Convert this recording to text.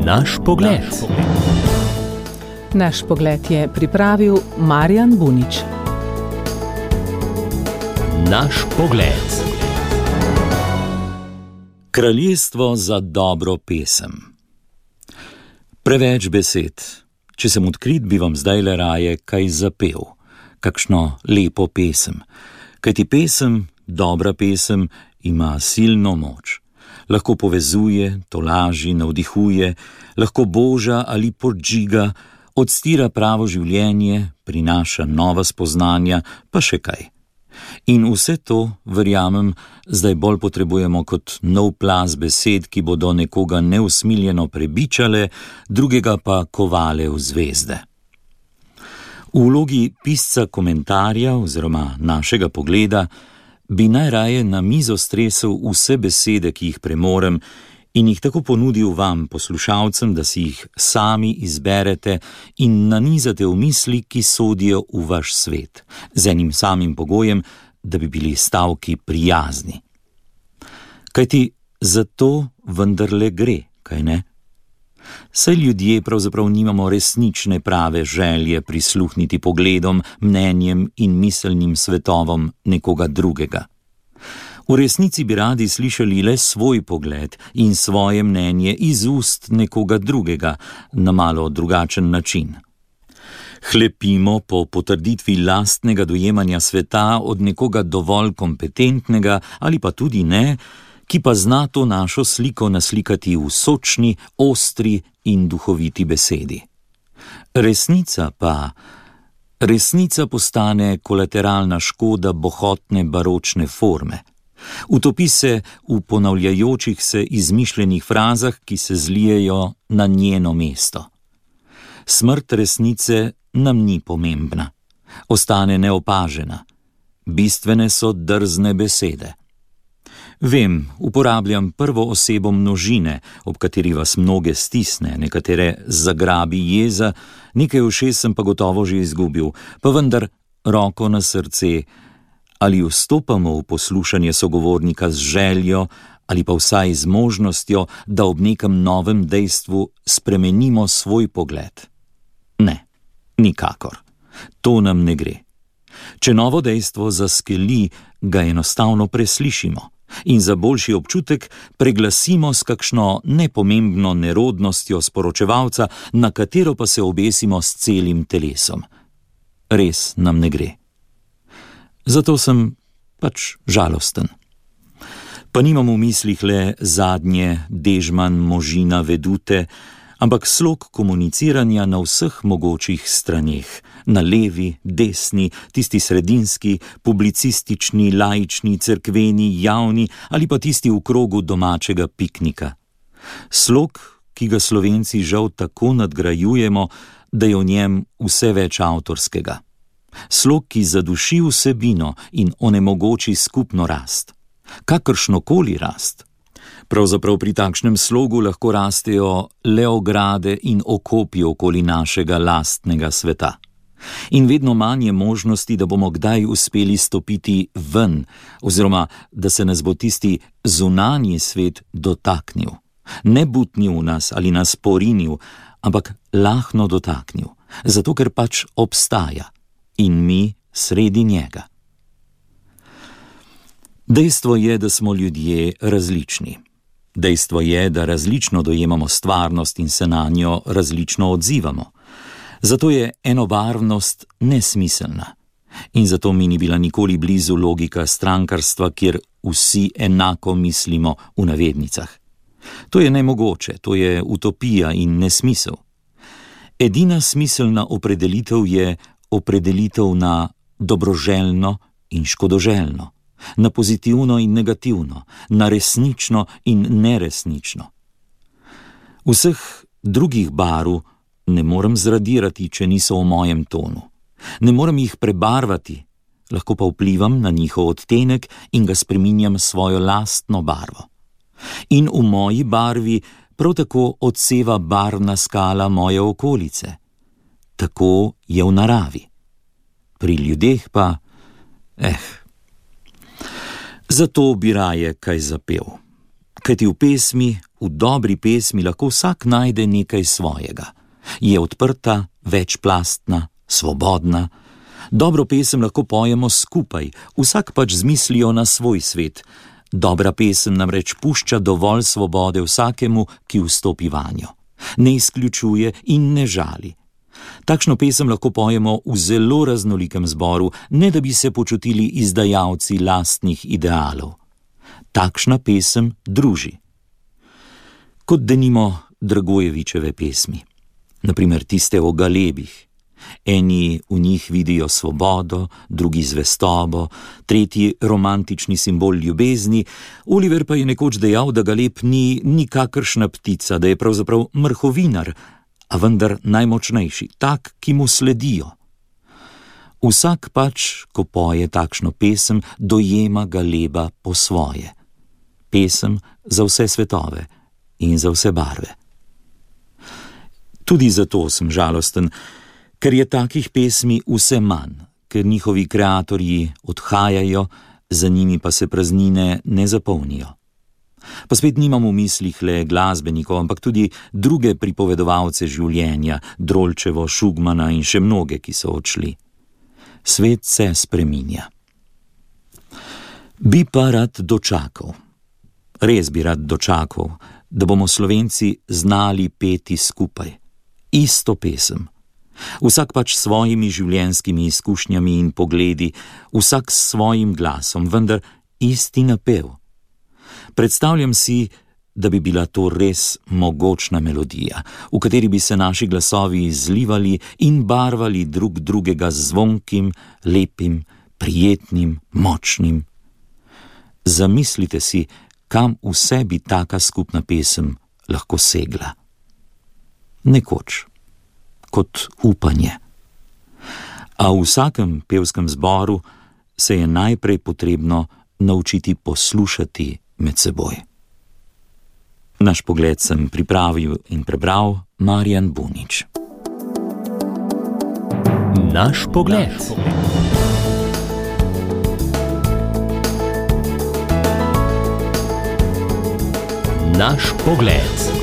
Naš pogled. Naš pogled je pripravil Marjan Bunič. Naš pogled. Kraljestvo za dobro pesem. Preveč besed. Če sem odkrit, bi vam zdajle raje kaj zapel, kakšno lepo pesem. Kajti pesem, dobra pesem, ima silno moč. Lahko povezuje, tolaži, navdihuje, lahko boža ali podžiga, odstira pravo življenje, prinaša nova spoznanja, pa še kaj. In vse to, verjamem, zdaj bolj potrebujemo kot nov plaz besed, ki bodo nekoga neusmiljeno prebičale, drugega pa kovale v zvezde. V vlogi pisca komentarja oziroma našega pogleda bi najraje na mizo stresel vse besede, ki jih premorem, in jih tako ponudil vam, poslušalcem, da si jih sami izberete in nanizate v misli, ki sodijo v vaš svet, z enim samim pogojem, da bi bili stavki prijazni. Kajti za to vendarle gre, kaj ne? Saj ljudje pravzaprav nimamo resnične prave želje prisluhniti pogledom, mnenjem in miselnim svetovom nekoga drugega. V resnici bi radi slišali le svoj pogled in svoje mnenje iz ust nekoga drugega na malo drugačen način. Hlepimo po potrditvi lastnega dojemanja sveta od nekoga dovolj kompetentnega ali pa tudi ne, ki pa zna to našo sliko naslikati v sočni, ostri in duhoviti besedi. Resnica postane kolateralna škoda bohotne baročne forme. Utopi se v ponavljajočih se izmišljenih frazah, ki se zlijejo na njeno mesto. Smrt resnice nam ni pomembna, ostane neopažena. Bistvene so drzne besede. Vem, uporabljam prvo osebo množine, ob kateri vas mnoge stisne, nekatere zagrabi jeza, nekaj ušes sem pa gotovo že izgubil, pa vendar roko na srce, ali vstopamo v poslušanje sogovornika z željo ali pa vsaj z možnostjo, da ob nekem novem dejstvu spremenimo svoj pogled? Ne, nikakor. To nam ne gre. Če novo dejstvo zaskeli, ga enostavno preslišimo in za boljši občutek preglasimo s kakšno nepomembno nerodnostjo sporočevalca, na katero pa se obesimo s celim telesom. Res nam ne gre. Zato sem pač žalosten. Pa nimam v mislih le zadnje Dežman, Možina, Vedute, ampak slog komuniciranja na vseh mogočih straneh, na levi, desni, tisti sredinski, publicistični, laični, cerkveni, javni ali pa tisti v krogu domačega piknika. Slog, ki ga Slovenci žal tako nadgrajujemo, da je v njem vse več avtorskega. Slog, ki zaduši vsebino in onemogoči skupno rast. Kakršnokoli rast. Pravzaprav pri takšnem slogu lahko rastejo le ograde in okopi okoli našega lastnega sveta. In vedno manj je možnosti, da bomo kdaj uspeli stopiti ven, oziroma da se nas bo tisti zunanji svet dotaknil. Ne butnil nas ali nas porinil, ampak lahno dotaknil, zato ker pač obstaja in mi sredi njega. Dejstvo je, da smo ljudje različni. Dejstvo je, da različno dojemamo stvarnost in se na njo različno odzivamo. Zato je enobarvnost nesmiselna. In zato mi ni bila nikoli blizu logika strankarstva, kjer vsi enako mislimo v navednicah. To je nemogoče, to je utopija in nesmisel. Edina smiselna opredelitev je opredelitev na dobroželjno in škodoželjno, na pozitivno in negativno, na resnično in neresnično. Vseh drugih barv ne morem zradirati, če niso v mojem tonu. Ne morem jih prebarvati, lahko pa vplivam na njihov odtenek in ga spreminjam svojo lastno barvo. In v moji barvi prav tako odseva barvna skala moje okolice. Tako je v naravi. Pri ljudeh pa, Zato bi raje kaj zapel. Kajti v pesmi, v dobri pesmi lahko vsak najde nekaj svojega. Je odprta, večplastna, svobodna. Dobro pesem lahko pojemo skupaj, vsak pač z mislijo na svoj svet. Dobra pesem namreč pušča dovolj svobode vsakemu, ki vstopi vanjo. Ne izključuje in ne žali. Takšno pesem lahko pojemo v zelo raznolikem zboru, ne da bi se počutili izdajalci lastnih idealov. Takšna pesem druži. Kot denimo Dragojevičeve pesmi. Naprimer tiste o galebih. Eni v njih vidijo svobodo, drugi zvestobo, tretji romantični simbol ljubezni. Oliver pa je nekoč dejal, da galeb ni nikakršna ptica, da je pravzaprav mrhovinar, a vendar najmočnejši, tak, ki mu sledijo. Vsak pač, ko poje takšno pesem, dojema galeba po svoje. Pesem za vse svetove in za vse barve. Tudi zato sem žalosten, ker je takih pesmi vse manj, ker njihovi kreatorji odhajajo, za njimi pa se praznine ne zapolnijo. Pa spet nimam v mislih le glasbenikov, ampak tudi druge pripovedovalce življenja, Drolčevo, Šugmana in še mnoge, ki so odšli. Svet se spreminja. Bi pa rad dočakal. Res bi rad dočakal, da bomo Slovenci znali peti skupaj. Isto pesem. Vsak pač s svojimi življenjskimi izkušnjami in pogledi, vsak s svojim glasom, vendar isti napev. Predstavljam si, da bi bila to res mogočna melodija, v kateri bi se naši glasovi izlivali in barvali drug drugega z zvonkim, lepim, prijetnim, močnim. Zamislite si, kam vse bi taka skupna pesem lahko segla. Nekoč, kot upanje. A v vsakem pevskem zboru se je najprej potrebno naučiti poslušati med seboj. Naš pogled sem pripravil in prebral Marjan Bunič. Naš pogled. Naš pogled.